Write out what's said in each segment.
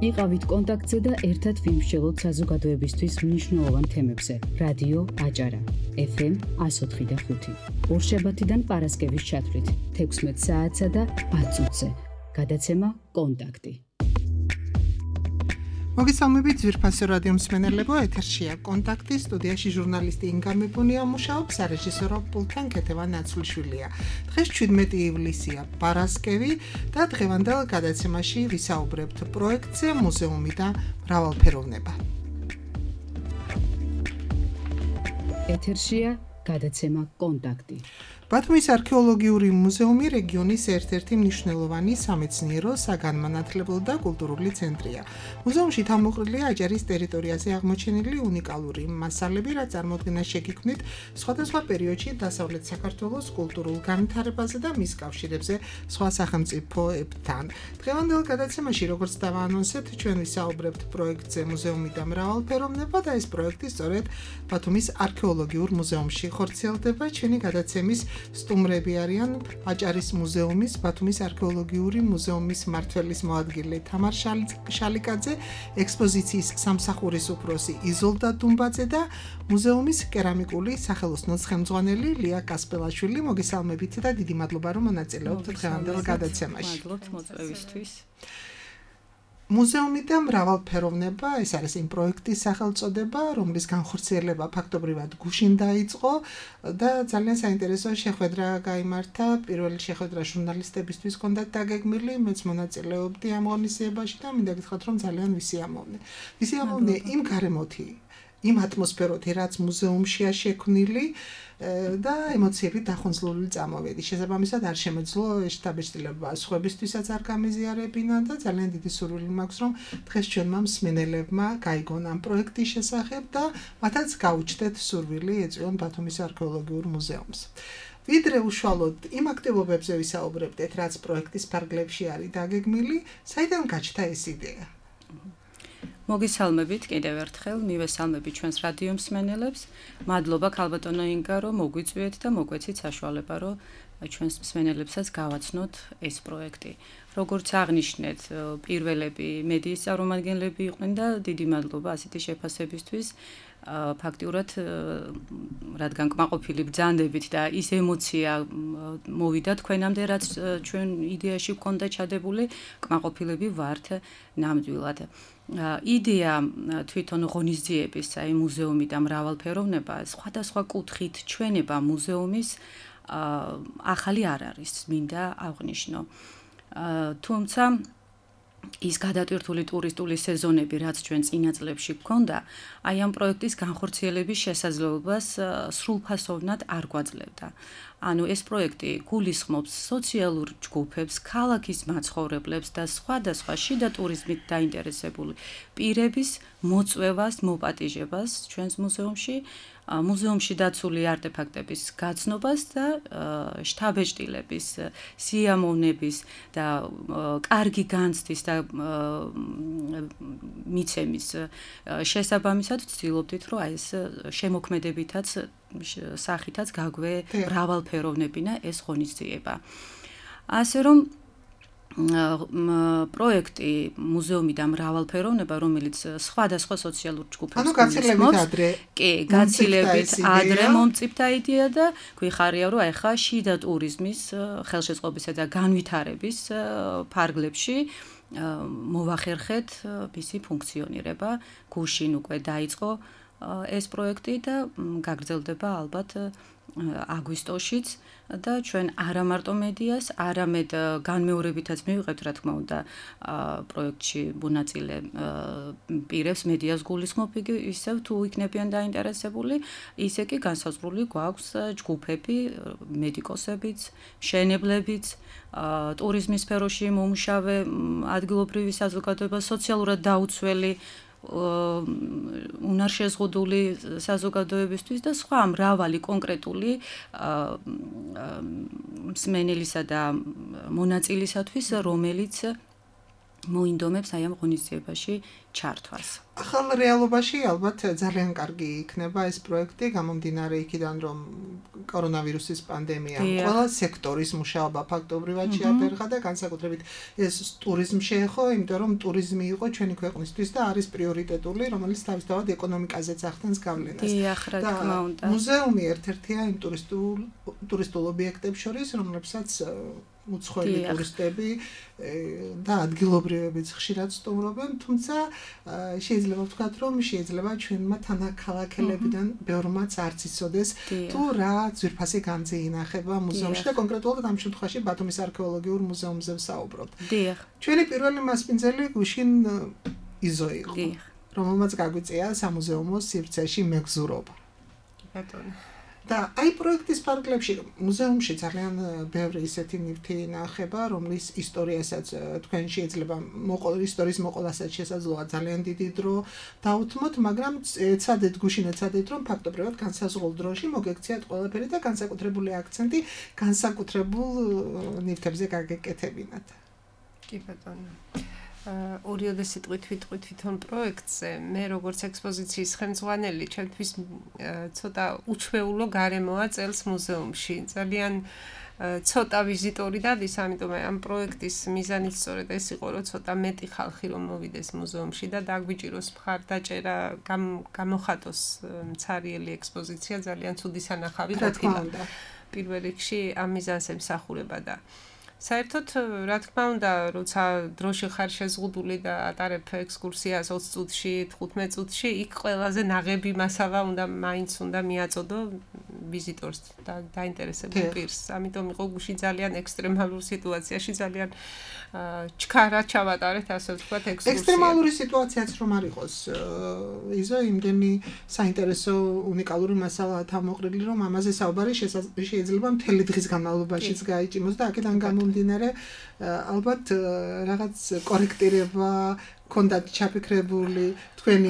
იყავით კონტაქტზე და ერთად ვიმსჯელოთ საზოგადოებისთვის მნიშვნელოვან თემებზე. რადიო აჭარა, FM 104.5. ორშაბათიდან პარასკევის ჩათვლით 16 საათსა და 10 წუთზე. გადაცემა კონტაქტი. მოგესალმებით ძვირფასო რადიო მსმენელებო, ეთერშია კონტაქტი, სტუდიაში ჟურნალისტი ინგა მიბუნია მუშაობს, სარეჟისორო პულტთან ქეთევან ნაცვლიშვილია. დღეს 17 ივლისია, პარასკევი და დღევანდელ გადაცემაში ვისაუბრებთ პროექტზე მუზეუმი და მრავალფეროვნება. ეთერშია გადაცემა კონტაქტი. ბათუმის არქეოლოგიური მუზეუმი რეგიონის ერთ-ერთი მნიშვნელოვანი სამეცნიერო, საგანმანათლებლო და კულტურული ცენტრია. მუზეუმში თავმოყრილია აჭარის ტერიტორიაზე აღმოჩენილი უნიკალური მასალები, რაც წარმოადგენს შეგიქმნით სხვადასხვა პერიოდში დასავლეთ საქართველოს კულტურულ განვითარებაზე და მის კავშირებზე სხვა სახელმწიფოებთან. დღევანდელ გადაცემაში, როგორც დავაანონსეთ, ჩვენ ვისაუბრებთ პროექტზე მუზეუმი და მრავალფეროვნება და ეს პროექტი სწორედ ბათუმის არქეოლოგიურ მუზეუმში ხორციელდება. ჩვენი გადაცემის სტუმრები არიან აჭარის მუზეუმის, ბათუმის არქეოლოგიური მუზეუმის მმართველის მოადგილე თამარ შალიკაძე, ექსპოზიციის სამსახურის უფროსი იზოლდა დუმბაძე და მუზეუმის კერამიკული სახელოსნოს ხელმძღვანელი ლია კასპელაშვილი. მოგესალმებით და დიდი მადლობა, რომ მონაწილეობთ დღევანდელ გადაცემაში. მადლობთ მოწვევისთვის. მუზეუმი და მრავალფეროვნება, ეს არის იმ პროექტის სახელწოდება, რომლის განხორციელება ფაქტობრივად გუშინ დაიწყო და ძალიან საინტერესო შეხვედრა გაიმართა. პირველი შეხვედრა ჟურნალისტებისთვის ჰქონდათ დაგეგმილი, მეც მონაწილეობდი ამ ღონისძიებაში და მინდა გითხრათ, რომ ძალიან ვისიამოვნე იმ გარემოთი, იმ ატმოსფეროთი, რაც მუზეუმშია შექმნილი და ემოციები დახონძლული წამოვედი. შესაბამისად არ შემეძლო შთაბეჭდილება სხვებისთვისაც არ გამიზიარებინა და ძალიან დიდი სურვილი მაქვს, რომ დღეს ჩვენმა მსმენელებმა გაიგონ ამ პროექტის შესახებ და მათაც გაუჩნდეთ სურვილი ეწვიონ ბათუმის არქეოლოგიურ მუზეუმს. ვიდრე უშუალოდ იმ აქტივობებზე ვისაუბრებდეთ, რაც პროექტის ფარგლებში არის დაგეგმილი, საიდან გაჩნდა ეს იდეა? მოგესალმებით კიდევ ერთხელ, მივესალმებით ჩვენს რადიო მსმენელებს. მადლობა ქალბატონო ინგა, რომ მოგვიწვიეთ და მოგვეცით საშუალება, რომ ჩვენს მსმენელებსაც გავაცნოთ ეს პროექტი. როგორც აღნიშნეთ, პირველები მედიის წარმომადგენლები იყვნენ და დიდი მადლობა ასეთი შეფასებისთვის. ფაქტიურად, რადგან კმაყოფილი ბრძანდებით და ის ემოცია მოვიდა თქვენამდე, რაც ჩვენ იდეაში გვქონდა ჩადებული, კმაყოფილები ვართ ნამდვილად. იდეა თვითონ ღონისძიების, აი მუზეუმი და მრავალფეროვნება, სხვადასხვა კუთხით ჩვენება მუზეუმის ახალი არ არის, მინდა აღვნიშნო. თუმცა ის გადატვირთული ტურისტული სეზონები, რაც ჩვენ წინა წლებში გვქონდა, აი ამ პროექტის განხორციელების შესაძლებლობას სრულფასოვნად არ გვაძლევდა. ანუ ეს პროექტი გულისხმობს სოციალურ ჯგუფებს, ქალაქის მაცხოვრებლებს და სხვადასხვა შიდა ტურიზმით დაინტერესებული პირების მოწვევას, მოპატიჟებას ჩვენს მუზეუმში, მუზეუმში დაცული არტეფაქტების გაცნობას და შთაბეჭდილების, სიამოვნების და კარგი განცდის და მიცემის შესაბამისად ვცდილობდით, რომ ეს შემოქმედებითაც სახითაც გაგვე მრავალფეროვნებინა ეს ღონისძიება. ასე რომ პროექტი მუზეუმი და მრავალფეროვნება, რომელიც სხვადასხვა სოციალურ ჯგუფებს გაცილებით ადრე მომწიფდა იდეა და გვიხარია, რომ ახლა შიდა ტურიზმის ხელშეწყობისა და განვითარების ფარგლებში მოვახერხეთ მისი ფუნქციონირება. გუშინ უკვე დაიწყო ეს პროექტი და გაგრძელდება ალბათ აგვისტოშიც და ჩვენ არა მარტო მედიას, არამედ განმეორებითაც მივიღებთ, რა თქმა უნდა, პროექტში მონაწილე პირებს მედიას გულისხმობ, ისევ თუ იქნებიან დაინტერესებული, ისე კი განსაზღვრული გვაქვს ჯგუფები, მედიკოსებიც, მშენებლებიც, ტურიზმის სფეროში მომუშავე ადგილობრივი საზოგადოება, სოციალურად დაუცველი უნარშეზღუდული საზოგადოებისთვის და სხვა მრავალი კონკრეტული მსმენელისა და მონაწილისათვის, რომელიც მოინდომებს აი ამ ღონისძიებაში ჩართვას. ახალ რეალობაში ალბათ ძალიან კარგი იქნება ეს პროექტი, გამომდინარე იქიდან, რომ კორონავირუსის პანდემიამ ყველა სექტორის მუშაობა ფაქტობრივად შეაფერხა და განსაკუთრებით ეს ტურიზმი შეეხო, იმიტომ რომ ტურიზმი იყო ჩვენი ქვეყნისთვის და არის პრიორიტეტული, რომელიც თავისთავად ეკონომიკაზეც ახდენს გავლენას. რა თქმა უნდა. მუზეუმი ერთ-ერთია იმ ტურისტულ ობიექტებს შორის, რომლებსაც უცხოელი ტურისტები და ადგილობრივებიც ხშირად სტუმრობენ, თუმცა შეიძლება ვთქვათ, რომ შეიძლება ჩვენმა თანაქალაქელებიდან ბევრმაც არც იცოდეს თუ რა ძვირფასი განძი ინახება მუზეუმში და კონკრეტულად ამ შემთხვევაში ბათუმის არქეოლოგიურ მუზეუმზე ვსაუბრობ. ჩვენი პირველი მასპინძელი გუშინ იზო იყო, რომელმაც გაგვიწია სამუზეუმო სივრცეში მეგზურობა. და აი პროექტის ფარგლებში მუზეუმში ძალიან ბევრი ისეთი ნივთი ინახება, რომლის ისტორიასაც თქვენ შეიძლება ისტორიის მოყოლასაც შესაძლოა ძალიან დიდი დრო დაუთმოთ, მაგრამ ეცადეთ გუშინ ეცადეთ, რომ ფაქტობრივად განსაზღვრულ დროში მოგექციათ ყველაფერი და განსაკუთრებული აქცენტი განსაკუთრებულ ნივთებზე გაგეკეთებინათ. კი ბატონო. ორიოდე სიტყვით ვიტყვით თვითონ პროექტზე, მე როგორც ექსპოზიციის ხელმძღვანელი, ჩემთვის ცოტა უჩვეულო გარემოა წელს მუზეუმში. ძალიან ცოტა ვიზიტორი დადის, ამიტომ ამ პროექტის მიზანიც სწორედ ეს იყო, რომ ცოტა მეტი ხალხი რომ მოვიდეს მუზეუმში და დაგვიჭიროს მხარდაჭერა, გამოხატოს მცარიელი ექსპოზიცია, ძალიან ცუდი სანახავი ყოფილა. პირველ რიგში ამ მიზანს ემსახურება და საერთოდ, რა თქმა უნდა, როცა დროში ხარ შეზღუდული და ატარებ ექსკურსიას 20 წუთში, 15 წუთში, იქ ყველაზე ნაღები მასალა მაინც უნდა მიაწოდო ვიზიტორს და დაინტერესებულ პირს. ამიტომ იყო გუშინ ძალიან ექსტრემალურ სიტუაციაში, ძალიან ჩქარა ჩავატარეთ, ასე ვთქვათ, ექსკურსია. ექსტრემალური სიტუაციაც რომ არ იყოს, იზო იმდენი საინტერესო უნიკალური მასალაა თავმოყრილი, რომ ამაზე საუბარი შეიძლება მთელი დღის განმავლობაშიც გაიჭიმოს და აქედან გამომდინარე ალბათ რაღაც კორექტირება კონდათ ჩაფიქრებული თქვენი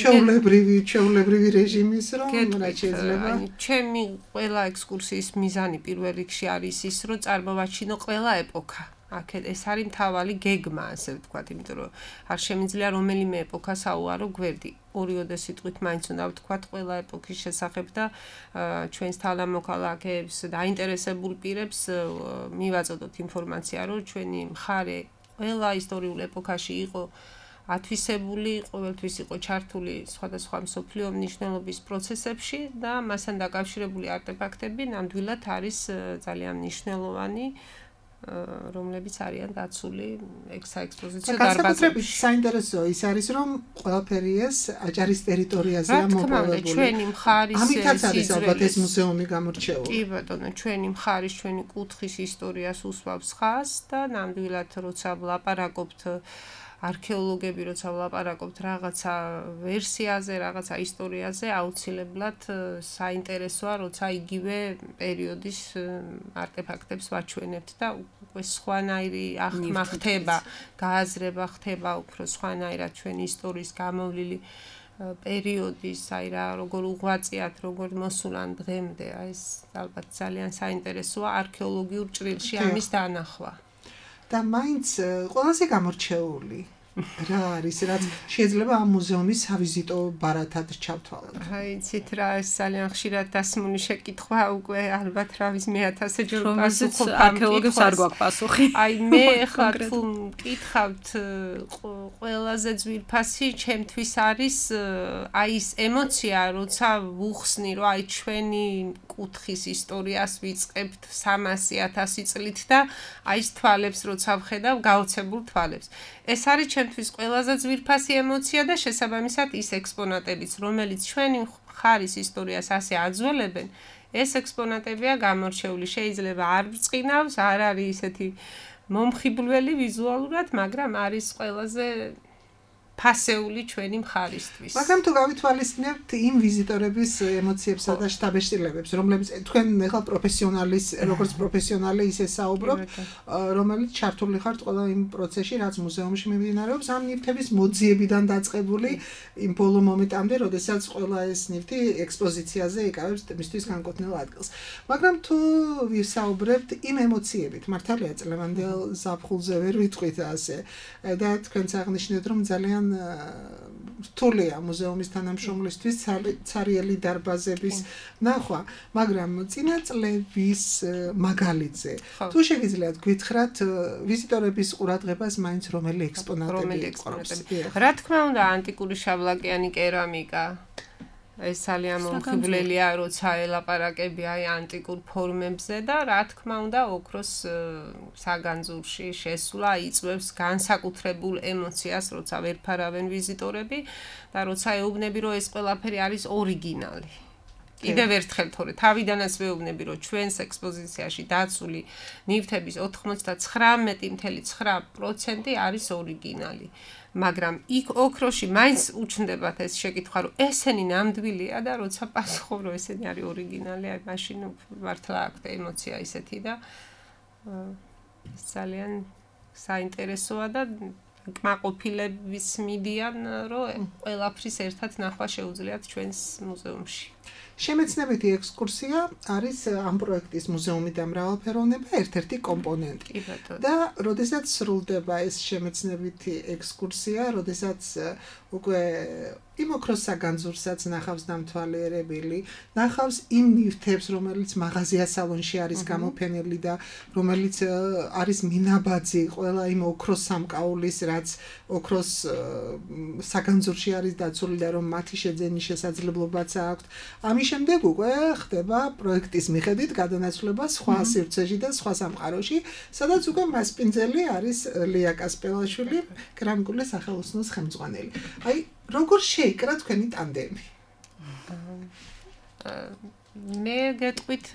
ჩვეულებრივი რეჟიმის რომ რა შეიძლება. ჩემი ყველა ექსკურსიის მიზანი პირველ რიგში არის ის, რომ წარმოვაჩინო ყველა ეპოქა. ეს არის მთავარი გეგმა, ასე ვთქვათ, იმიტომ რომ არ შემიძლია რომელიმე ეპოქა საუარო გვერდი. ორიოდე სიტყვით მაინც უნდა ვთქვათ ყველა ეპოქის შესახებ და ჩვენს თანამოქალაქეებს და აინტერესებულ პირებს მივაწოდოთ ინფორმაცია, რომ ჩვენი მხარე ყველა ისტორიულ ეპოქაში იყო ათვისებული, ყოველთვის იყო ჩართული სხვადასხვა მსოფლიო მნიშვნელობის პროცესებში და მასთან დაკავშირებული არტეფაქტები ნამდვილად არის ძალიან მნიშვნელოვანი, რომლებიც არიან დაცული საექსპოზიციო დარბაზებში. განსაკუთრებით საინტერესოა ის არის, რომ ყველაფერი ეს აჭარის ტერიტორიაზეა მოპოვებული. ჩვენი მხარის ამითაც არის ალბათ ეს მუზეუმი გამორჩეული. კი ბატონო, ჩვენი მხარის, ჩვენი კუთხის ისტორიას უსვამს ხაზს და ნამდვილად როცა ვლაპარაკობთ არქეოლოგები როცა ვლაპარაკობთ რაღაცა ვერსიაზე, რაღაცა ისტორიაზე, აუცილებლად საინტერესოა, როცა იგივე პერიოდის არტეფაქტებს ვაჩვენებთ და უკვე სხვანაირი აღქმა ხდება, გააზრება ხდება უფრო სხვანაირად ჩვენი ისტორიის გამოვლილი პერიოდის, აი რა, როგორ უღვაწიათ, როგორ მოსულან დღემდე, აი ეს ალბათ ძალიან საინტერესოა არქეოლოგიურ ჭრილში ამის დანახვა. და მაინც ყველაზე გამორჩეული რა არის, რაც შეიძლება ამ მუზეუმის სავიზიტო ბარათად ჩავთვალოთ. აი, იცით რა, ეს ძალიან ხშირად დასმული შეკითხვა, უკვე ალბათ რავის მე-1000 ჯერ პასუხობ არქეოლოგებს არ გვაქვს პასუხი. აი, მე ხა თუ მკითხავთ ყველაზე ძვირფასი ჩემთვის არის აი ეს ემოცია, როცა ვუხსნი, რომ აი ჩვენი კუთხის ისტორიას ვიწყებთ 300-1000 წლით და აი ეს თვალებს როცა ვხედავ, გაოცებულ თვალებს. ეს არის ჩემთვის ყველაზე ძვირფასი ემოცია და შესაბამისად ის ექსპონატებიც, რომელიც ჩვენი მხარის ისტორიას ასე აძველებენ, ეს ექსპონატებია გამორჩეული. შეიძლება არ ბრწყინავს, არ არის ისეთი მომხიბვლელი ვიზუალურად, მაგრამ არის ყველაზე ფასეული ჩვენი მხარისთვის. მაგრამ თუ გავითვალისწინებთ იმ ვიზიტორების ემოციებსა და შთაბეჭდილებებს, რომლებიც თქვენ ახლა პროფესიონალის, როგორც პროფესიონალი ისე საუბრობთ, რომელიც ჩართული ხართ ყველა იმ პროცესში, რაც მუზეუმში მიმდინარეობს, ამ ნივთების მოძიებიდან დაწყებული იმ ბოლო მომენტამდე, როდესაც ყველა ეს ნივთი ექსპოზიციაზე იკავებს მისთვის განკუთვნილ ადგილს. მაგრამ თუ ვისაუბრებთ იმ ემოციებით, მართალია წლევანდელ ზაფხულზე ვერ ვიტყვით ასე და თქვენც აღნიშნეთ, რომ ძალიან რთულია მუზეუმის თანამშრომლისთვის ცარიელი დარბაზების ნახვა, მაგრამ წინა წლების მაგალითზე თუ შეგიძლიათ გითხრათ ვიზიტორების ყურადღებას მაინც რომელი ექსპონატები ეყრდნობს? რა თქმა უნდა, ანტიკური შავლაკიანი კერამიკა ეს ძალიან მომხიბვლელია, როცა ელაპარაკები ანტიკურ ფორმებზე და რა თქმა უნდა, ოქროს საგანძურში შესვლა იწვევს განსაკუთრებულ ემოციას, როცა ვერ ფარავენ ვიზიტორები და როცა ეუბნები, რომ ეს ყველაფერი არის ორიგინალი. კიდევ ერთხელ თორე თავიდანაც ვეუბნები, რომ ჩვენს ექსპოზიციაში დაცული ნივთების 99.9% არის ორიგინალი. მაგრამ იქ ოქროში მაინც უჩნდებათ ეს შეკითხვა, რომ ესენი ნამდვილია და როცა პასუხობ, რომ ესენი არის ორიგინალი, აი მაშინ მართლა აქვს ემოცია ისეთი და ძალიან საინტერესოა და კმაყოფილების მიდიან, რომ ყველაფრის ერთად ნახვა შეუძლიათ ჩვენს მუზეუმში. შემეცნებითი ექსკურსია არის ამ პროექტის მუზეუმი და მრავალფეროვნება ერთ-ერთი კომპონენტი. და როდესაც სრულდება ეს შემეცნებითი ექსკურსია, როდესაც უკვე იმ ოქროს საგანძურსაც ნახავს დამთვალიერებელი, ნახავს იმ ნივთებს, რომელიც მაღაზია სალონში არის გამოფენილი და რომელიც არის მინაბაძი ყველა იმ ოქროს სამკაულის, რაც ოქროს საგანძურში არის დაცული და რომ მათი შეძენის შესაძლებლობაც აქვს. ამის შემდეგ უკვე ხდება პროექტის მიხედვით გადანაცვლება სხვა სივრცეში და სხვა სამყაროში, სადაც უკვე მასპინძელი არის ლია კასპელაშვილი, კერამიკული სახელოსნოს ხელმძღვანელი. აი, როგორ შეიკრა თქვენი ტანდემი? მე გეტყვით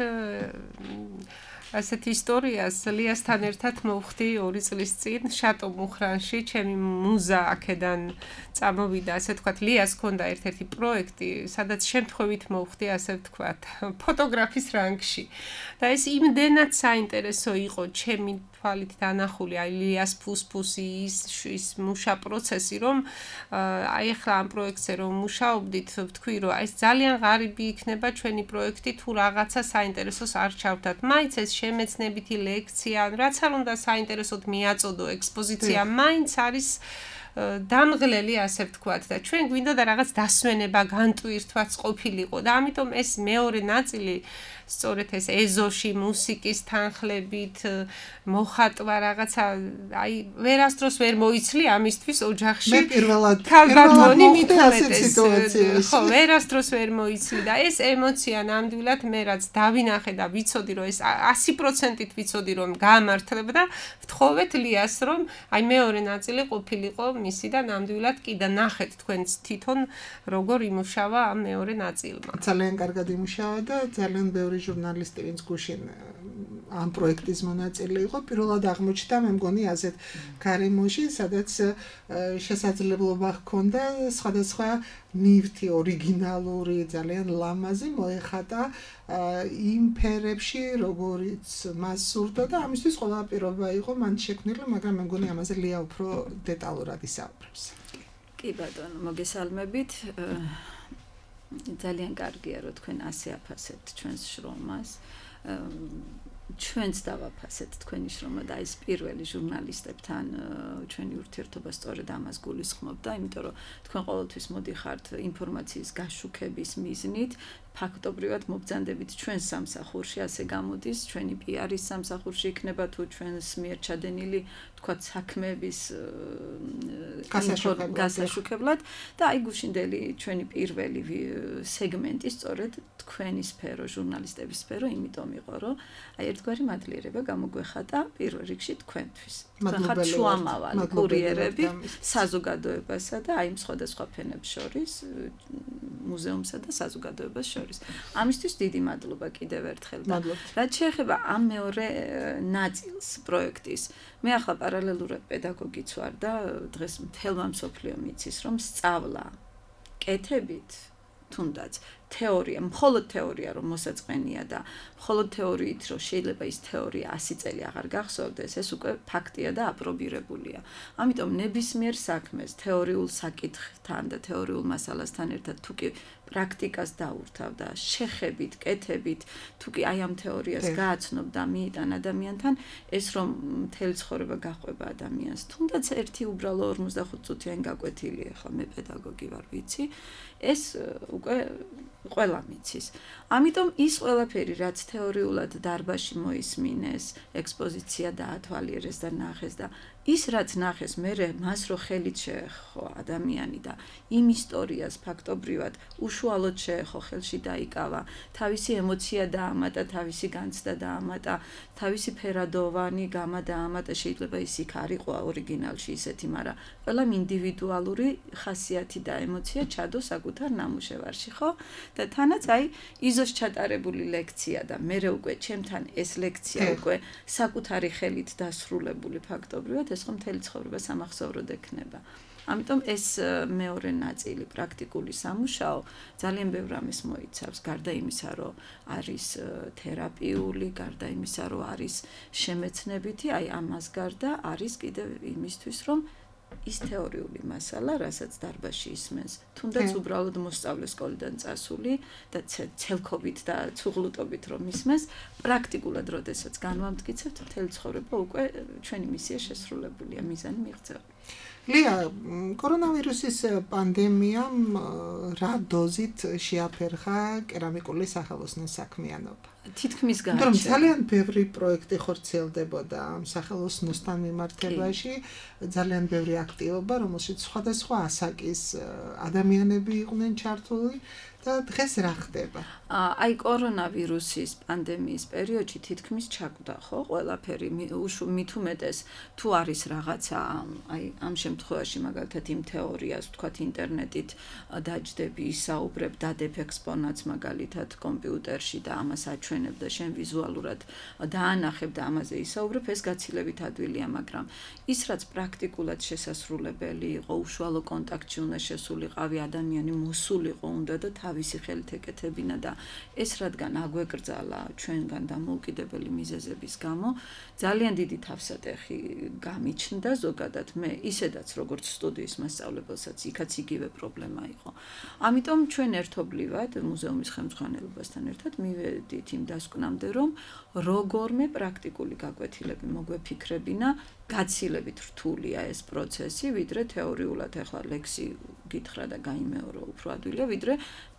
ასეთ ისტორიას ლიასთან ერთად მოვხდი 2 წლის წინ შატო მუხრანში, ჩემი მუზა აქედან წამოვიდა, ასე ვთქვათ, ლიას ჰქონდა ერთ-ერთი პროექტი, სადაც შემთხვევით მოვხდი, ასე ვთქვათ, ფოტოგრაფის რანგში. და ეს იმდენად საინტერესო იყო ჩემი თვალით დანახული, აი ლიას ფუსფუსი ის მუშა პროცესი, რომ აი ახლა ამ პროექტზე რომ მუშაობდით, ვთქვი, რომ ეს ძალიან ღარიბი იქნება ჩვენი პროექტი, თუ რაღაცა საინტერესოს არ ჩავთათ. მაინც ეს შემეცნებითი ლექცია, რაც არ უნდა საინტერესოდ მიაწოდო ექსპოზიცია, მაინც არის დამღლელი, ასე ვთქვათ, და ჩვენ გვინდა და რაღაც დასვენება, განტვირთვაც ყოფილიყო და ამიტომ ეს მეორე ნაწილი სწორედ ეს ეზოში, მუსიკის თანხლებით, მოხატვა რაღაცა, აი ვერასდროს ვერ მოიცლი ამისთვის ოჯახში. მე პირველად ქალბატონი მithumetes. ხო, ვერასდროს ვერ მოიცლი და ეს ემოცია ნამდვილად მე რაც დავინახე და ვიცოდი, რომ ეს 100%-ით ვიცოდი, რომ გაამართლებდა, ვთხოვეთ ლიას, რომ აი მეორე ნაწილი ყოფილიყო მისი და ნამდვილად კი და ნახეთ თქვენც თვითონ როგორ იმუშავა ამ მეორე ნაწილმა. ძალიან კარგად იმუშავა და ძალიან ბევრი ჟურნალისტი, ვინც გუშინ ამ პროექტის მონაწილე იყო, პირველად აღმოჩნდა, მე მგონი ასეთ გარემოში, სადაც შესაძლებლობა ჰქონდა სხვადასხვა ნივთი ორიგინალური, ძალიან ლამაზი მოეხატა იმ ფერებში, როგორიც მას სურდა და ამისთვის ყველა პირობა იყო მან შექმნილი, მაგრამ მე მგონი ამაზე ლია უფრო დეტალურად ისაუბრებს. კი ბატონო, მოგესალმებით. ძალიან კარგია, რომ თქვენ ასე აფასებთ ჩვენს შრომას. ჩვენც დავაფასეთ თქვენი შრომა და ეს პირველი ჟურნალისტებთან ჩვენი ურთიერთობა სწორედ ამას გულისხმობდა, იმიტომ რომ თქვენ ყოველთვის მოდიხართ ინფორმაციის გაშუქების მიზნით, ფაქტობრივად მობრძანდებით ჩვენს სამსახურში, ასე გამოდის, ჩვენი პიარის სამსახურში იქნება თუ ჩვენს მიერ ჩადენილი, თქვათ, საქმეების გასაშუქებლად და აი გუშინდელი ჩვენი პირველი სეგმენტი სწორედ თქვენი სფერო, ჟურნალისტების სფერო, იმიტომ იყო, რომ აი ერთგვარი მადლიერება გამოგვეხატა პირველ რიგში თქვენთვის. თქვენ ხართ შუამავალი კურიერები საზოგადოებასა და აი სხვადასხვა ფენებს შორის, მუზეუმსა და საზოგადოებას შორის. ამისთვის დიდი მადლობა კიდევ ერთხელ და რაც შეეხება ამ მეორე ნაწილს პროექტის, მე ახლა პარალელურად პედაგოგიც ვარ და დღეს მთელმა მსოფლიომ იცის, რომ სწავლა კეთებით თუნდაც თეორია, მხოლოდ თეორია რომ მოსაწყენია და მხოლოდ თეორიით რომ შეიძლება ის თეორია 100 წელი აღარ გახსოვდეს, ეს უკვე ფაქტია და აპრობირებულია. ამიტომ ნებისმიერ საქმეს თეორიულ საკითხთან და თეორიულ მასალასთან ერთად თუ კი პრაქტიკას დაურთავ და შეხებით, კეთებით, თუ კი აი ამ თეორიას გააცნობ და მიიტან ადამიანთან, ეს რომ მთელი ცხოვრება გაყვება ადამიანს. თუნდაც ერთი უბრალო 45 წუთიანი გაკვეთილი, ახლა მე პედაგოგი ვარ, ვიცი, ეს უკვე ყველა მიცის. ამიტომ ის ყველაფერი, რაც თეორიულად დარბაზში მოისმინეს, ექსპოზიცია დაათვალიერეს და ნახეს და ის რაც ნახეს, მე მას რო ხელით შეეხო ადამიანი და იმ ისტორიას ფაქტობრივად უშუალოდ შეეხო, ხელში დაიკავა, თავისი ემოცია დაამატა, თავისი განცდა დაამატა, თავისი ფერადოვანი გამა დაამატა, შეიძლება ის იქ არ იყო ორიგინალში ისეთი, მაგრამ ყველამ ინდივიდუალური ხასიათი და ემოცია ჩადო საკუთარ ნამუშევარში, ხო? და თანაც აი იზოს ჩატარებული ლექცია და მე უკვე ჩემთან ეს ლექცია უკვე საკუთარი ხელით დასრულებული ფაქტობრივად ეს ხომ მთელი ცხოვრება სამახსოვროდ ექნება. ამიტომ ეს მეორე ნაწილი პრაქტიკული სამუშაო ძალიან ბევრ რამეს მოიცავს, გარდა იმისა, რომ არის თერაპიული, გარდა იმისა, რომ არის შემეცნებითი, აი ამას გარდა არის კიდევ იმისთვის, რომ ის თეორიული მასალა, რასაც დარბაზში ისმენს, თუნდაც უბრალოდ მოსწავლე სკოლიდან წასული და ცელქობით და ცუღლუტობით რომ ისმენს, პრაქტიკულად როდესაც განვამტკიცებთ, მთელი ცხოვრება უკვე ჩვენი მისია შესრულებულია, მიზანი მიღწევა. ლია, კორონავირუსის პანდემიამ რა დოზით შეაფერხა კერამიკული სახელოსნოს საქმიანობა? თითქმის გააჩერა. მაგრამ ძალიან ბევრი პროექტი ხორციელდებოდა ამ სახელოსნოსთან მიმართებაში, ძალიან ბევრი აქტივობა, რომელშიც სხვადასხვა ასაკის ადამიანები იყვნენ ჩართული. და დღეს რა ხდება? აი კორონავირუსის პანდემიის პერიოდში თითქმის ჩაკვდა, ხო, ყველაფერი მით უმეტეს თუ არის რაღაცა, აი ამ შემთხვევაში მაგალითად იმ თეორიას, ვთქვათ, ინტერნეტით დაჯდები, ისაუბრებ, დადებ ექსპონატს მაგალითად კომპიუტერში და ამას აჩვენებ და შენ ვიზუალურად დაანახებ და ამაზე ისაუბრებ, ეს გაცილებით ადვილია, მაგრამ ის რაც პრაქტიკულად შესასრულებელი იყო, უშუალო კონტაქტში უნდა შესულიყავი ადამიანი, მოსულიყო უნდა და თავისი ხელით ეკეთებინა და ეს რადგან აგვეკრძალა ჩვენგან დამოუკიდებელი მიზეზების გამო, ძალიან დიდი თავსატეხი გამიჩნდა ზოგადად მე ისედაც როგორც სტუდიის მასწავლებელსაც იქაც იგივე პრობლემა იყო. ამიტომ ჩვენ ერთობლივად მუზეუმის ხელმძღვანელობასთან ერთად მივედით იმ დასკვნამდე, რომ როგორმე პრაქტიკული გაკვეთილები მოგვეფიქრებინა, გაცილებით რთულია ეს პროცესი, ვიდრე თეორიულად ახლა ლექსი გითხრა და გაიმეორო უფრო ადვილია, ვიდრე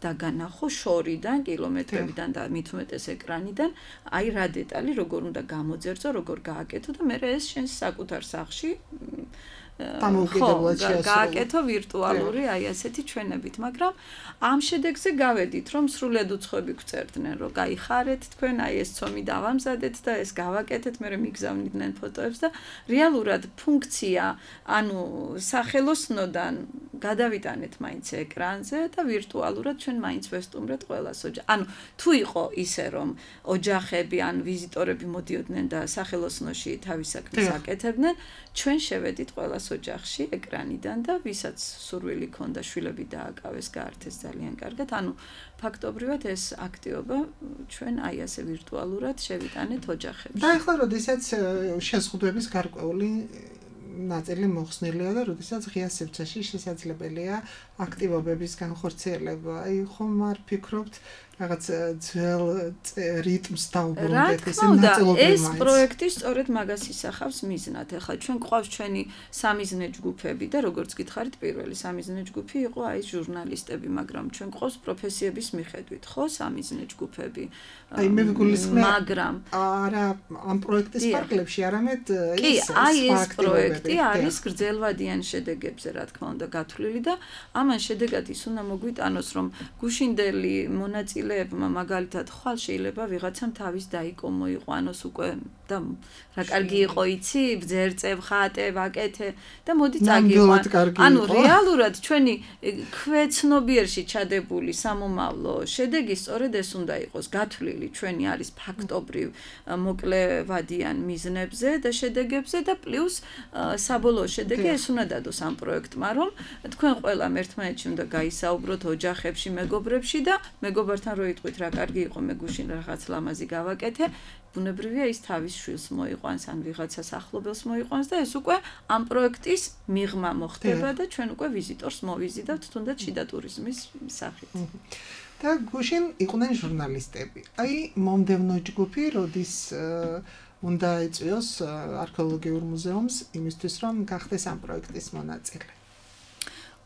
დაგანახო შორიდან, კილომეტრებიდან და მით უმეტეს ეკრანიდან, აი რა დეტალი, როგორ უნდა გამოძერწო, როგორ გააკეთო და მე ეს შენს საკუთარ სახლში გააკეთო ვირტუალური აი ასეთი ჩვენებით, მაგრამ ამ შედეგზე გავედით, რომ სრულად უცხოები გვწერდნენ, რომ გაიხარეთ თქვენ, აი ეს ცომი დავამზადეთ და ეს გავაკეთეთ, მე მიგზავნიდნენ ფოტოებს და რეალურად ფუნქცია, ანუ სახელოსნოდან გადავიტანეთ მაინც ეკრანზე და ვირტუალურად ჩვენ მაინც ვესტუმრეთ ყველას ოჯახს. ანუ თუ იყო ისე, რომ ოჯახები ან ვიზიტორები მოდიოდნენ და სახელოსნოში თავის საქმეს აკეთებდნენ, ჩვენ შევედით ყველას ოჯახში ეკრანიდან და ვისაც სურვილი ქონდა შვილები დააკავეს, გაართეს ძალიან კარგად. ანუ ფაქტობრივად ეს აქტივობა ჩვენ აი ასე ვირტუალურად შევიტანეთ ოჯახებში. და ახლა როდესაც შეზღუდვების გარკვეული ნაწილი მოხსნილია და როდესაც ღია სივრცეში შესაძლებელია აქტივობების განხორციელება. აი ხომ არ ფიქრობთ რაღაც ძველ რიტმს დაუბრუნდეთ ესე ნაწილობრივ ეს პროექტი სწორედ მაგას ისახავს მიზნად. ახლა ჩვენ გვყავს ჩვენი სამიზნე ჯგუფები და როგორც გითხარით პირველი სამიზნე ჯგუფი იყო აი ჟურნალისტები, მაგრამ ჩვენ გვყავს პროფესიების მიხედვით, ხო, სამიზნე ჯგუფები. აი მე ვიგულისხმე, მაგრამ არა ამ პროექტის ფარგლებში, არამედ ის ეს პროექტი არის გრძელვადიან შედეგებზე, რა თქმა უნდა, გათვლილი და ამან შედეგად ის უნდა მოგვიტანოს, რომ გუშინდელი მონაწილე მოკლეებმა მაგალითად ხვალ შეიძლება ვიღაცამ თავის დაიკო მოიყვანოს უკვე და რა კარგი იყო იცი ბძერწევ ხატე ვაკეთე და მოდი წაგიყვან ანუ რეალურად ჩვენი ქვეცნობიერში ჩადებული სამომავლო შედეგი სწორედ ეს უნდა იყოს გათვლილი ჩვენი არის ფაქტობრივ მოკლევადიან მიზნებზე და შედეგებზე და პლუს საბოლოო შედეგი ეს უნდა დადოს ამ პროექტმა რომ თქვენ ყველამ ერთმანეთში უნდა გაისაუბროთ ოჯახებში მეგობრებში და მეგობართან რო იტყვით რა კარგი იყო მე გუშინ რაღაც ლამაზი გავაკეთე ბუნებრივია ის თავის შვილს მოიყვანს ან ვიღაცას ახლობელს მოიყვანს და ეს უკვე ამ პროექტის მიღმა მოხდება და ჩვენ უკვე ვიზიტორს მოვიზიდავთ თუნდაც შიდა ტურიზმის სახით. და გუშინ იყვნენ ჟურნალისტები. აი მომდევნო ჯგუფი როდის უნდა ეწვიოს არქეოლოგიურ მუზეუმს იმისთვის რომ გახდეს ამ პროექტის მონაწილე.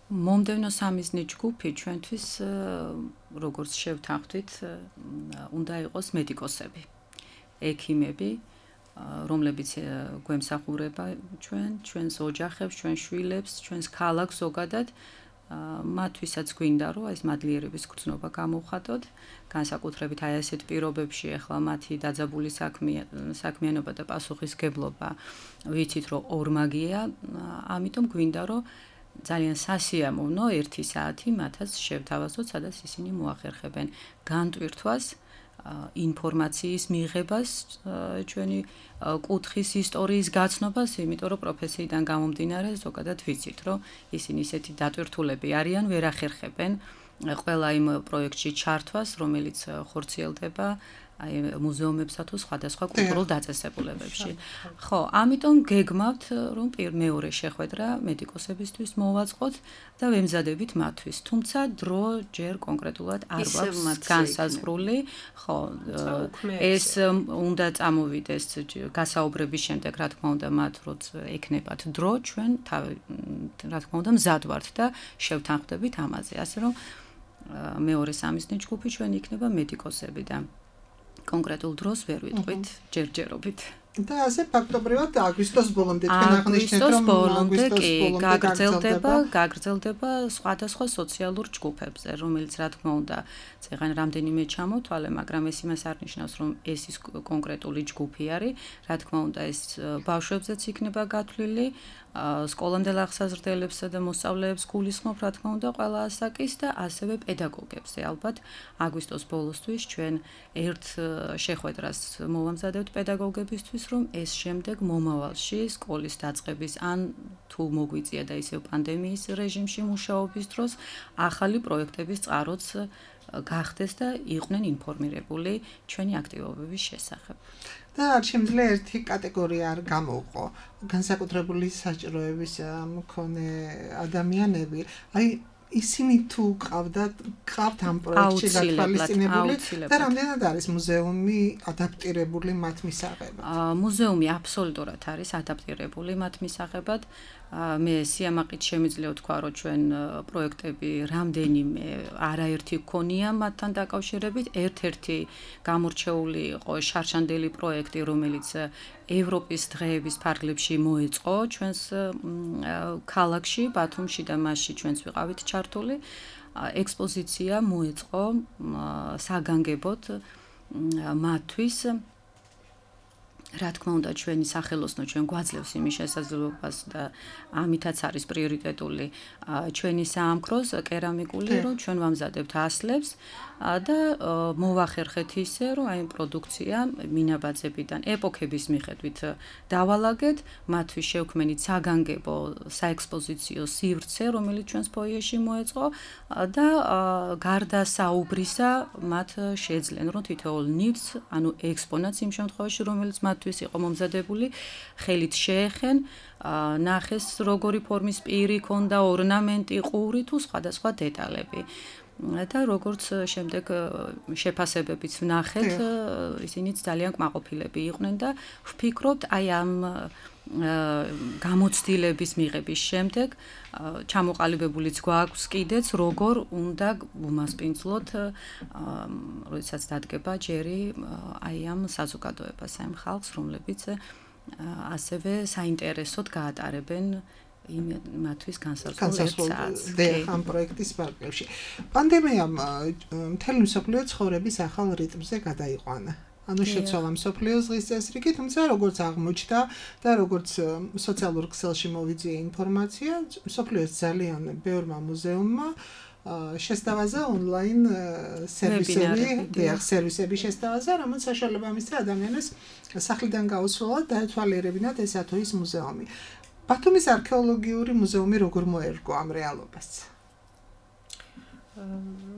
მომდევნო სამიზნე ჯგუფი ჩვენთვის როგორც შევთანხმდით უნდა იყოს მედიკოსები. ექიმები, რომლებიც გვემსახურება ჩვენს ოჯახებს, ჩვენ შვილებს, ჩვენს ქალაქს ზოგადად, მათთვისაც გვინდა რომ ეს მადლიერების გრძნობა გამოვხატოთ, განსაკუთრებით აი ასეთ პირობებში ახლა მათი დაძაბული საქმიანობა და პასუხისგებლობა ვიცით რომ ორმაგია, ამიტომ გვინდა რომ ძალიან სასიამოვნო 1 საათი მათაც შევთავაზოთ, სადაც ისინი მოახერხებენ განტვირთვას ინფორმაციის მიღებას ჩვენი კუთხის ისტორიის გაცნობას, იმიტომ რომ პროფესიიდან გამომდინარე ზოგადად ვიცით, რომ ისინი ისეთი დატვირთულები არიან, ვერ ახერხებენ ყველა იმ პროექტში ჩართვას, რომელიც ხორციელდება აი მუზეუმებსა თუ სხვადასხვა კულტურულ დაწესებულებებში. ხო, ამიტომ გეგმავთ, რომ მეორე შეხვედრა მედიკოსებისთვის მოვაწყოთ და ვემზადებით მათთვის. თუმცა დრო ჯერ კონკრეტულად არ გვაქვს განსაზღვრული. ხო, ეს უნდა წამოვიდეს გასაუბრების შემდეგ, რა თქმა უნდა, მათ როცა ეკნებათ დრო, ჩვენ რა თქმა უნდა მზად ვართ და შევთანხმდებით ამაზე. ასე რომ მეორე სამიზნე ჯგუფი ჩვენ იქნება მედიკოსები და კონკრეტულ დროს ვერ ვიტყვით ჯერჯერობით. და ასე ფაქტობრივად აგვისტოს ბოლომდე თქვენ აღნიშნეთ რომ აგვისტოს ბოლომდე გაგრძელდება სხვადასხვა სოციალურ ჯგუფებზე, რომელიც რა თქმა უნდა წეგან რამდენიმე ჩამოთვალე, მაგრამ ეს იმას არ ნიშნავს რომ ეს ის კონკრეტული ჯგუფი არის, რა თქმა უნდა ეს ბავშვებზეც იქნება გათვლილი, სკოლამდელ აღსაზრდელებსა და მოსწავლეებს გულისხმობ, რა თქმა უნდა, ყველა ასაკის და ასევე პედაგოგებზე. ალბათ აგვისტოს ბოლოსთვის ჩვენ ერთ შეხვედრას მოვამზადებთ პედაგოგებისთვის, რომ ეს შემდეგ მომავალში სკოლის დაწყების ან თუ მოგვიწია და ისევ პანდემიის რეჟიმში მუშაობის დროს ახალი პროექტების წყაროც გახდეს და იყვნენ ინფორმირებული ჩვენი აქტივობების შესახებ. და არ შემიძლია ერთი კატეგორია არ გამოვყო. განსაკუთრებული საჭიროების მქონე ადამიანები, აი ისინი თუ ყავთ ამ პროექტში გათვალისწინებული და რამდენად არის მუზეუმი ადაპტირებული მათ მისაღებად? მუზეუმი აბსოლუტურად არის ადაპტირებული მათ მისაღებად. მე სიამაყით შემიძლია ვთქვა, რომ ჩვენ პროექტები რამდენიმე არაერთი გქონია მათთან დაკავშირებით. ერთ-ერთი გამორჩეული იყო შარშანდელი პროექტი, რომელიც ევროპის დღეების ფარგლებში მოეწყო ჩვენს ქალაქში, ბათუმში და მასში ჩვენც ვიყავით ჩართული. ექსპოზიცია მოეწყო საგანგებოდ მათთვის. რა თქმა უნდა ჩვენი სახელოსნო ჩვენ გვაძლევს იმის შესაძლებლობას და ამითაც არის პრიორიტეტული ჩვენი საამქროს კერამიკული, რომ ჩვენ ვამზადებთ ასლებს და მოვახერხეთ ისე, რომ აი პროდუქცია მინაბაძებიდან ეპოქების მიხედვით დავალაგეთ, მათთვის შევქმნით საგანგებო საექსპოზიციო სივრცე, რომელიც ჩვენს ფოიეში მოეწყო და გარდა საუბრისა მათ შეძლენ, რომ თითოეულ ნივთს, ანუ ექსპონატს იმ შემთხვევაში, რომელიც მათთვის იყო მომზადებული, ხელით შეეხენ, ნახეს როგორი ფორმის პირი ქონდა, ორნამენტი, ყური თუ სხვადასხვა დეტალები. და როგორც შემდეგ შეფასებებიც ვნახეთ, ისინიც ძალიან კმაყოფილები იყვნენ და ვფიქრობთ, აი ამ გამოცდილების მიღების შემდეგ ჩამოყალიბებულიც გვაქვს კიდეც, როგორ უნდა ვუმასპინძლოთ, როდესაც დადგება ჯერი აი ამ საზოგადოებას, აი ამ ხალხს, რომლებიც ასევე საინტერესოდ გაატარებენ მათთვის განსაზღვრულ ამ პროექტის პარალელში. პანდემიამ მთელი მსოფლიო ცხოვრების ახალ რიტმზე გადაიყვანა. ანუ შეცვალა მსოფლიოს დღის წესრიგი, თუმცა როგორც აღმოჩნდა და როგორც სოციალურ ქსელში მოვიძიე ინფორმაცია, მსოფლიოს ძალიან ბევრმა მუზეუმმა შესთავაზა ონლაინ სერვისები შესთავაზა, რომელიც საშუალება მისცა ადამიანებს სახლიდან გაუსვლა და დაეთვალიერებინათ ეს თუ ის მუზეუმი. ბათუმის არქეოლოგიური მუზეუმი როგორ მოერგო ამ რეალობას?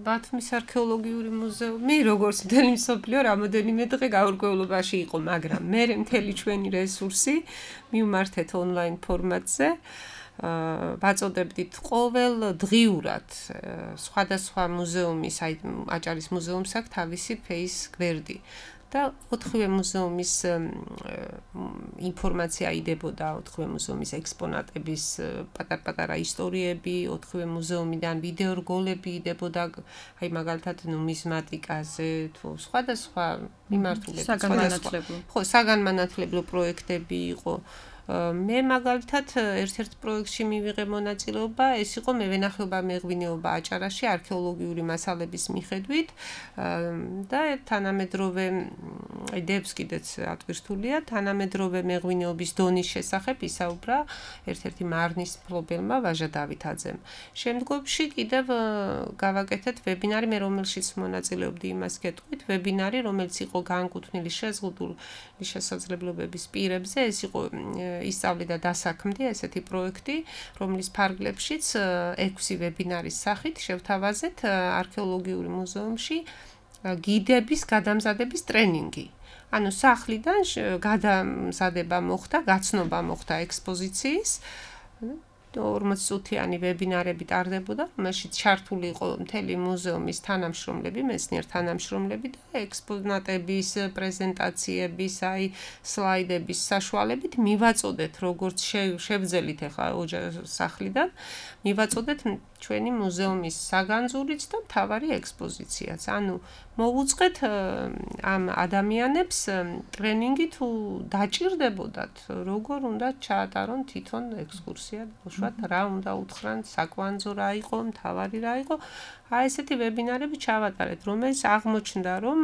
ბათუმის არქეოლოგიური მუზეუმი როგორც მთელი მსოფლიო რამოდენიმე დღე გაურკვევლობაში იყო, მაგრამ მე მთელი ჩვენი რესურსი მივმართეთ ონლაინ ფორმატზე. ვაწოდებდით ყოველ დღიურად სხვადასხვა მუზეუმის, აი აჭარის მუზეუმს აქვს თავისი ფეის გვერდი. და 4-ვე მუზეუმის ინფორმაცია იდებოდა, 4-ვე მუზეუმის ექსპონატების პატარ-პატარა ისტორიები, 4-ვე მუზეუმიდან ვიდეორგოლები იდებოდა, აი მაგალითად ნუმიზმატიკაზე, თუ სხვადასხვა მიმართულებით, საგანმანათლებლო პროექტები იყო. მე მაგალითად ერთ-ერთ პროექტში მივიღე მონაწილეობა, ეს იყო მევენახეობა მეღვინეობა აჭარაში არქეოლოგიური მასალების მიხედვით და თანამედროვე იდეებს კიდეც ატვირთულია, თანამედროვე მეღვინეობის დონის შესახებ ისაუბრა ერთ-ერთი მარნის მფლობელმა ვაჟა დავითაძემ. შემდგომში კიდევ გავაკეთეთ ვებინარი, მე რომელშიც მონაწილეობდი იმას გეტყვით, ვებინარი, რომელიც იყო განკუთვნილი შეზღუდული შესაძლებლობების პირებზე, ეს იყო ისწავლი და დასაქმდი ესეთი პროექტი, რომლის ფარგლებშიც 6 ვებინარის სახით შევთავაზეთ არქეოლოგიური მუზეუმში გიდების გადამზადების ტრენინგი. ანუ სახლიდან გადამზადება მოხდა, გაცნობა მოხდა ექსპოზიციის 40 წუთიანი ვებინარები ტარდებოდა, რომელშიც ჩართული იყო მთელი მუზეუმის თანამშრომლები, მეცნიერ თანამშრომლები და ექსპონატების, პრეზენტაციების, აი სლაიდების საშუალებით მივაწოდეთ, როგორც შევძელით ახლა სახლიდან, მივაწოდეთ ჩვენი მუზეუმის საგანძურიც და მთავარი ექსპოზიციაც. ანუ მოვუწყეთ ამ ადამიანებს ტრენინგი თუ დაჭირდებოდათ, როგორ უნდა ჩაატარონ თვითონ ექსკურსია, უშუალოდ რა უნდა უთხრან, საკვანძო რა იყო, მთავარი რა იყო. აი ესეთი ვებინარები ჩავატარეთ, რომელიც აღმოჩნდა, რომ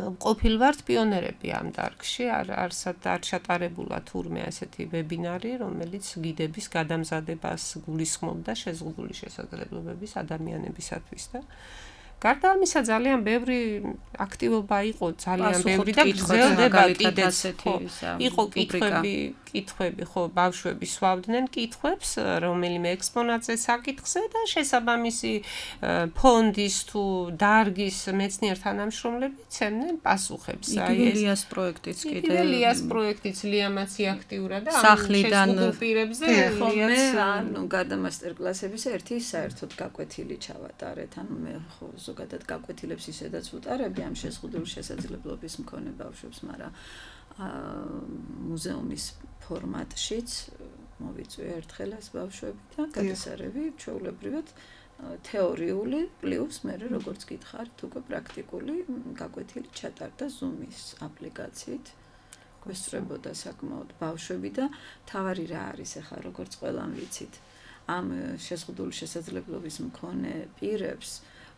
ყოფილვართ პიონერები ამ დარგში, არ ჩატარებულა თურმე ასეთი ვებინარი, რომელიც გიდების გადამზადებას გულისხმობდა შეზღუდული შესაძლებლობების ადამიანებისათვის და გარდა ამისა ძალიან ბევრი აქტივობა იყო, ძალიან ბევრი და გრძელდება კიდეც. იყო კითხვები, ხო, ბავშვები სვავდნენ კითხვებს, რომელიმე ექსპონატზე საკითხზე და შესაბამისი ფონდის თუ დარგის მეცნიერ თანამშრომლები ცემდნენ პასუხებს. აი ეს ლიას პროექტიც კიდე. ლიას პროექტიც ლიამაცი აქტიურა და სახლიდან პირებზე მე ანუ გარდა მასტერკლასების ერთი საერთოდ გაკვეთილი ჩავატარეთ. ანუ მე ხო ზოგადად გაკვეთილებს ისედაც ვუტარები ამ შეზღუდული შესაძლებლობის მქონე ბავშვებს, მაგრამ მუზეუმის ფორმატშიც მოვიწვია ერთხელ ეს ბავშვები და გადასარევი ჩვეულებრივად თეორიული პლუს მე როგორც გითხარით უკვე პრაქტიკული გაკვეთილი ჩატარდა Zoom-ის აპლიკაციით. გვესწრებოდა საკმაოდ ბავშვები და თავარი რა არის ახლა როგორც ყველამ ვიცით ამ შეზღუდული შესაძლებლობის მქონე პირებს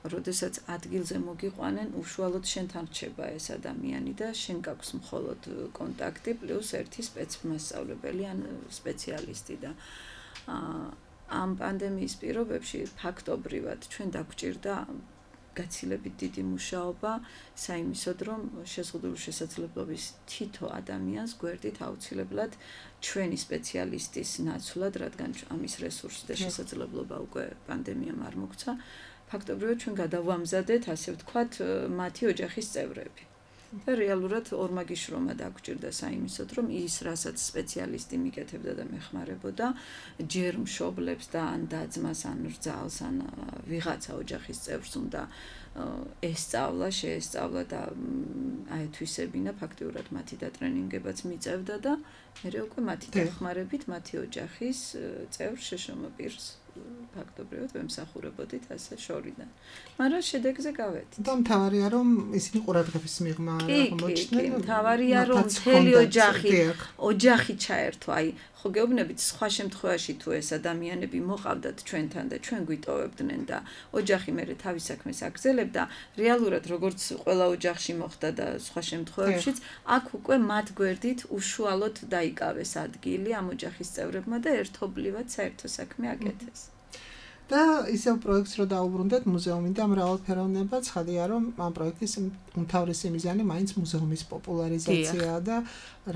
როდესაც ადგილზე მოგიყვანენ, უშუალოდ შენთან რჩება ეს ადამიანი და შენ გაქვს მხოლოდ კონტაქტი პლუს ერთი სპეცმასწავლებელი ან სპეციალისტი და ამ პანდემიის პირობებში ფაქტობრივად ჩვენ დაგვჭირდა გაცილებით დიდი მუშაობა საიმისოდ, რომ შეზღუდული შესაძლებლობის თითო ადამიანს გვერდით აუცილებლად ჩვენი სპეციალისტის ნაცვლად, რადგან ამის რესურსი და შესაძლებლობა უკვე პანდემიამ არ მოგცა, ფაქტობრივად ჩვენ გადავამზადეთ, ასე ვთქვათ, მათი ოჯახის წევრები. და რეალურად ორმაგი შრომა დაგვჭირდა საიმისოდ, რომ ის, რასაც სპეციალისტი მიკეთებდა და მეხმარებოდა, ჯერ მშობლებს და ან და-ძმას, ან რძალს, ან ვიღაცა ოჯახის წევრს უნდა ესწავლა, შეესწავლა და აეთვისებინა, ფაქტიურად მათი დატრენინგებაც მიწევდა და მერე უკვე მათი დახმარებით, მათი ოჯახის წევრს, შეშომა პირს ფაქტობრივად ვემსახურებოდით ასე შორიდან. მაგრამ შედეგზე გავედით. და მთავარია რომ ისინი ყურადღების მიღმა აღმოჩნდნენ. კი, მთავარია რომ მთელი ოჯახი ჩაერთო, აი ხო გეუბნებით სხვა შემთხვევაში თუ ეს ადამიანები მოყავდათ ჩვენთან და ჩვენ გვიტოვებდნენ და ოჯახი მერე თავის საქმეს აგრძელებდა, რეალურად როგორც ყველა ოჯახში მოხდა და სხვა შემთხვევებშიც, აქ უკვე მათ გვერდით უშუალოდ დაიკავეს ადგილი ამ ოჯახის წევრებმა და ერთობლივად საერთო საქმე აკეთეს. და ისევ პროექტს რო დაუბრუნდეთ მუზეუმი და მრავალფეროვნება, ცხადია რომ ამ პროექტის უმთავრესი მიზანი მაინც მუზეუმის პოპულარიზაციაა და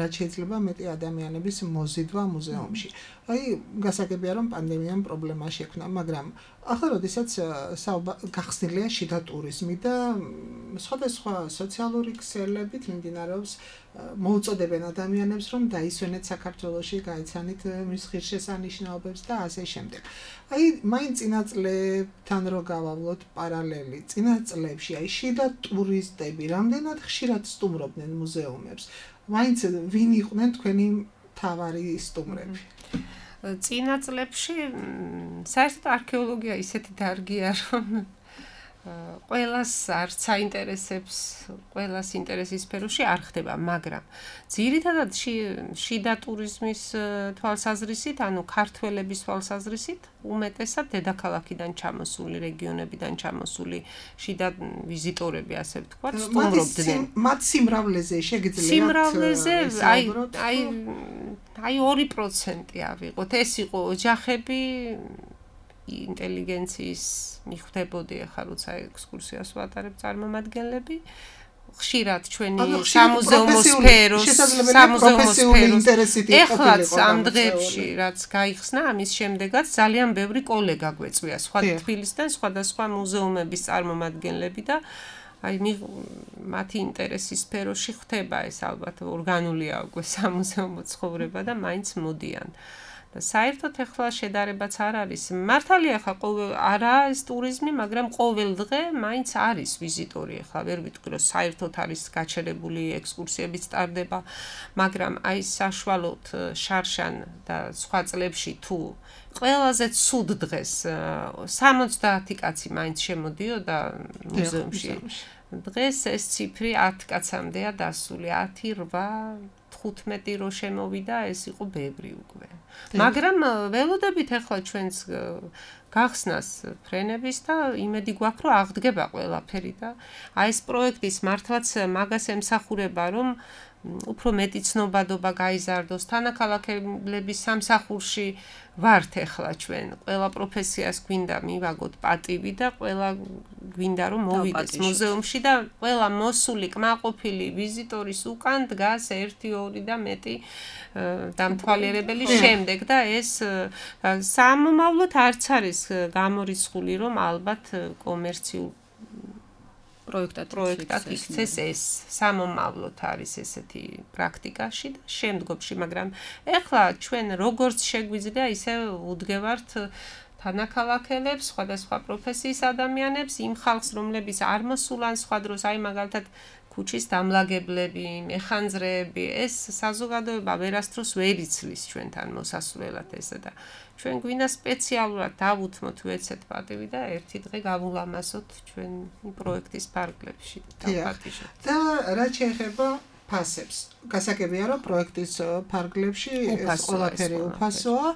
რაც შეიძლება მეტი ადამიანების მოზიდვა მუზეუმში. აი, გასაგებია რომ პანდემიამ პრობლემა შექმნა, მაგრამ ახლა როდესაც გახსნილია შიდა ტურიზმი და სხვადასხვა სოციალური ქსელებით მიმდინარეობს მოუწოდებენ ადამიანებს რომ დაისვენეთ საქართველოში, გაეცანით მის ღირსშესანიშნაობებს და ასე შემდეგ. აი, მაინც წინა წლებთან რო გავავლოთ პარალელი, წინა წლებში აი შიდა ტურისტები რამდენად ხშირად სტუმრობდნენ მუზეუმებს. მაინც ვინ იყვნენ თქვენი მთავარი სტუმრები? წინა წლებში საერთოდ არქეოლოგია ისეთი დარგია რომ ყველას არც აინტერესებს, ყველას ინტერესის სფეროში არ ხდება, მაგრამ ძირითადად შიდა ტურიზმის თვალსაზრისით, ანუ ქართველების თვალსაზრისით, უმეტესად დედაქალაქიდან ჩამოსული, რეგიონებიდან ჩამოსული შიდა ვიზიტორები, ასე ვთქვათ, სტუმრობდნენ. მათ სიმრავლეზე შეგიძლიათ სიმრავლეზე აი 2% ავიღოთ. ეს იყო ოჯახები ინტელიგენციის მიხვდებოდი ახლა როცა ექსკურსიას ვატარებ წარმომადგენლები ხშირად ჩვენი სამუზეუმო სფეროს ეხლაც ამ დღეებში რაც გაიხსნა ამის შემდეგაც ძალიან ბევრი კოლეგა გვეწვია სხვა თბილისიდან სხვადასხვა მუზეუმების წარმომადგენლები და აი მათი ინტერესის სფეროში ხდება ეს ალბათ ორგანულია უკვე სამუზეუმო ცხოვრება და მაინც მოდიან საერთოდ ახლა შედარებაც არ არის. მართალია ხა არა ეს ტურიზმი, მაგრამ ყოველ დღე მაინც არის ვიზიტორი. ახლა ვერ ვიტყვი რომ საერთოდ არის გაჩერებული ექსკურსიებიც ტარდება, მაგრამ აი საშუალოდ შარშან და სხვა წლებში თუ ყველაზე ცუდ დღეს 70 კაცი მაინც შემოდიოდა მუზეუმში. დღეს ეს ციფრი 10 კაცამდეა დასული, 10, 8 15 რო შემოვიდა, ეს იყო ბევრი უკვე. მაგრამ ველოდებით ახლა ჩვენს გახსნას ფრენების და იმედი გვაქვს, რომ აღდგება ყველაფერი და აი ეს პროექტის მართლაც მაგას ემსახურება, რომ უფრო მეტი ცნობადობა გაიზარდოს თანაქალაქებლების სამსახურში ვართ ახლა ჩვენ ყველა პროფესიას გვინდა მივაგოთ პატივი და ყველა გვინდა რომ მოვიდეს მუზეუმში და ყველა მოსული კმაყოფილი ვიზიტორის უკან დგას 1, 2 და მეტი დამთვალიერებელი შემდეგ და ეს სამომავლოდ არც არის გამორიცხული რომ ალბათ კომერციულ პროექტად იქცეს ეს სამომავლოდ არის ესეთი პრაქტიკაში და შემდგომში, მაგრამ ეხლა ჩვენ როგორც შეგვიძლია ისე უდგევართ თანაქალაქელებს, სხვადასხვა პროფესიის ადამიანებს, იმ ხალხს, რომლებიც არ მოსულან სხვა დროს, აი მაგალითად ქუჩის დამლაგებლები, მეხანძრეები, ეს საზოგადოება ვერასდროს ვერ იცლის ჩვენთან მოსასვლელად ესა და ჩვენ გვინდა სპეციალურად დავუთმოთ ვეცეთ პატივი და ერთი დღე გავულამაზოთ ჩვენ პროექტის ფარგლებში დავპატიჟოთ. და რაც შეეხება ფასებს, გასაგებია რომ პროექტის ფარგლებში ეს ყველაფერი უფასოა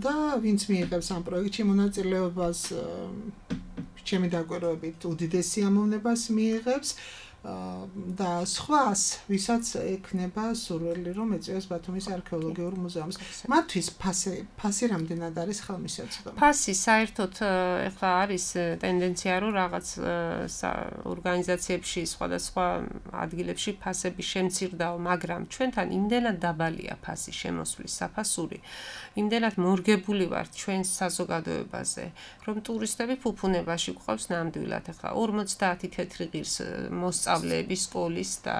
და ვინც მიიღებს ამ პროექტში მონაწილეობას ჩემი დაკვირვებით უდიდესი ამოვნებას მიიღებს და სხვას, ვისაც ექნება სურვილი რომ ეწვიოს ბათუმის არქეოლოგიურ მუზეუმს. მათთვის ფასი რამდენად არის ხელმისაწვდომი? ფასი საერთოდ ეხლა არის ტენდენცია რომ რაღაც ორგანიზაციებში სხვადასხვა ადგილებში ფასები შემცირდაო, მაგრამ ჩვენთან იმდენად დაბალია ფასი შემოსვლის საფასური, იმდენად მორგებული ვართ ჩვენს საზოგადოებაზე, რომ ტურისტები ფუფუნებაში გვყავს ნამდვილად. ეხლა 50 თეთრი ღირს მოსწავლეები სკოლის და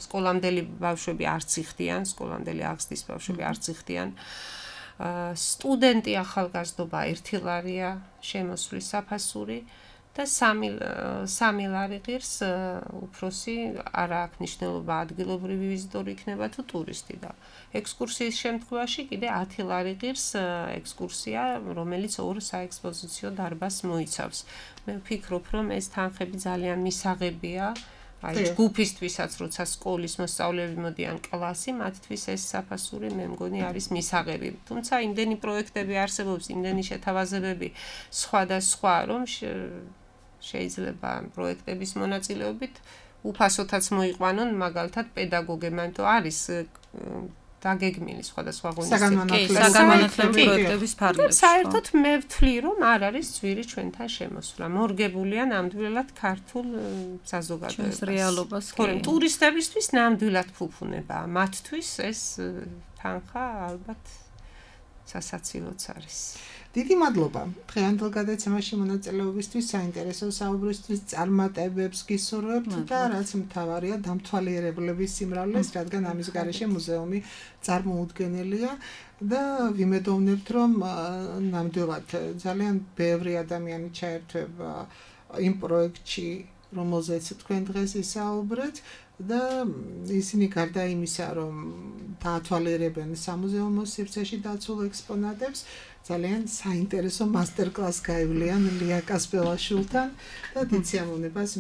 სკოლამდელი ბავშვები არც იხდიან, სკოლამდელი აღზრდის ბავშვები არც იხდიან. სტუდენტი ახალგაზრდობა 1 ლარია შემოსვლის საფასური და სამი ლარი ღირს უფროსი არ აქვს მნიშვნელობა ადგილობრივი ვიზიტორი იქნება თუ ტურისტი და ექსკურსიის შემთხვევაში კიდე 10 ლარი ღირს ექსკურსია, რომელიც ორ საექსპოზიციო დარბაზს მოიცავს. მე ვფიქრობ, რომ ეს თანხები ძალიან მისაღებია. აი ჯგუფისთვისაც, როცა სკოლის მოსწავლეები მოდიან კლასი, მათთვის ეს საფასური მე მგონი არის მისაღები. თუმცა იმდენი პროექტები არსებობს, იმდენი შეთავაზებები სხვადასხვა, რომ შეიძლება პროექტების მონაწილეობით უფასოთაც მოიყვანონ, მაგალითად პედაგოგებმა, იმიტომ არის დაგეგმილი სხვადასხვა საგანმანათლებლო პროექტების ფარგლებში. საერთოდ მე ვთვლი, რომ არ არის ძვირი ჩვენთან შემოსვლა. მორგებულია ნამდვილად ქართულ საზოგადოებას. რეალობას. თორემ ტურისტებისთვის ნამდვილად ფუფუნებაა. მათთვის ეს თანხა ალბათ სასაცილოც არის. დიდი მადლობა დღევანდელ გადაცემაში მონაწილეობისთვის, საინტერესო საუბრისთვის, წარმატებებს გისურვებთ და რაც მთავარია დამთვალიერებლების სიმრავლეს, რადგან ამის გარეშე მუზეუმი წარმოუდგენელია და ვიმედოვნებთ, რომ ნამდვილად ძალიან ბევრი ადამიანი ჩაერთვება იმ პროექტში, რომელზეც თქვენ დღეს ისაუბრეთ და ისინი გარდა იმისა, რომ დაათვალიერებენ სამუზეუმო სივრცეში დაცულ ექსპონატებს, ძალიან საინტერესო მასტერკლასს გაივლიან ლია კასპელაშვილთან და დიდ სიამოვნებას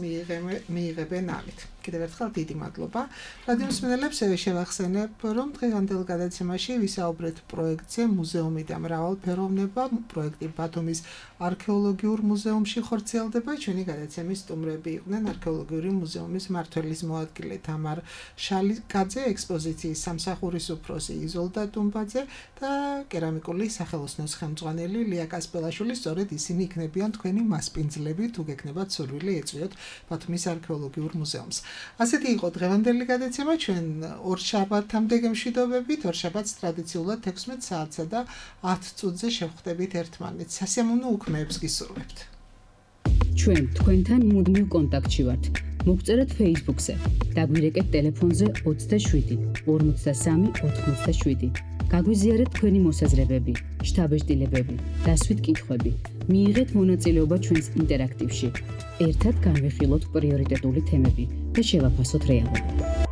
მიიღებენ ამით. კიდევ ერთხელ დიდი მადლობა. რადიო მსმენელებს შევახსენებ, რომ დღევანდელ გადაცემაში ვისაუბრეთ პროექტზე მუზეუმი და მრავალფეროვნება. პროექტი ბათუმის არქეოლოგიურ მუზეუმში ხორციელდება. ჩვენი გადაცემის სტუმრები იყვნენ არქეოლოგიური მუზეუმის მმართველის მოადგილე თამარ შალიკაძე, ექსპოზიციის სამსახურის უფროსი იზოლდა ტუმბაძე და კერამიკული სახელოსნოს ხელმძღვანელი ლია კასპელაშვილი. სწორედ ისინი იქნებიან თქვენი მასპინძლები, თუ გექნებათ სურვილი ეწვიოთ ბათუმის არქეოლოგიურ მუზეუმს. ასეთი იყო დღევანდელი გადაცემა. ჩვენ ორშაბათამდე გემშვიდობებით. ორშაბათს ტრადიციულად 16 საათსა და 10 წუთზე შევხვდებით ერთმანეთს. სასიამოვნო უქმეებს გისურვებთ. ჩვენ თქვენთან მუდმივ კონტაქტში ვართ. მოგწერეთ Facebook-ზე. დაგვირეკეთ ტელეფონზე 27 53 87. გაგვიზიარეთ თქვენი მოსაზრებები, შთაბეჭდილებები, დასვით კითხვები. მიიღეთ მონაწილეობა ჩვენს ინტერაქტივში. ერთად განვიხილოთ პრიორიტეტული თემები და შევაფასოთ რეალობა.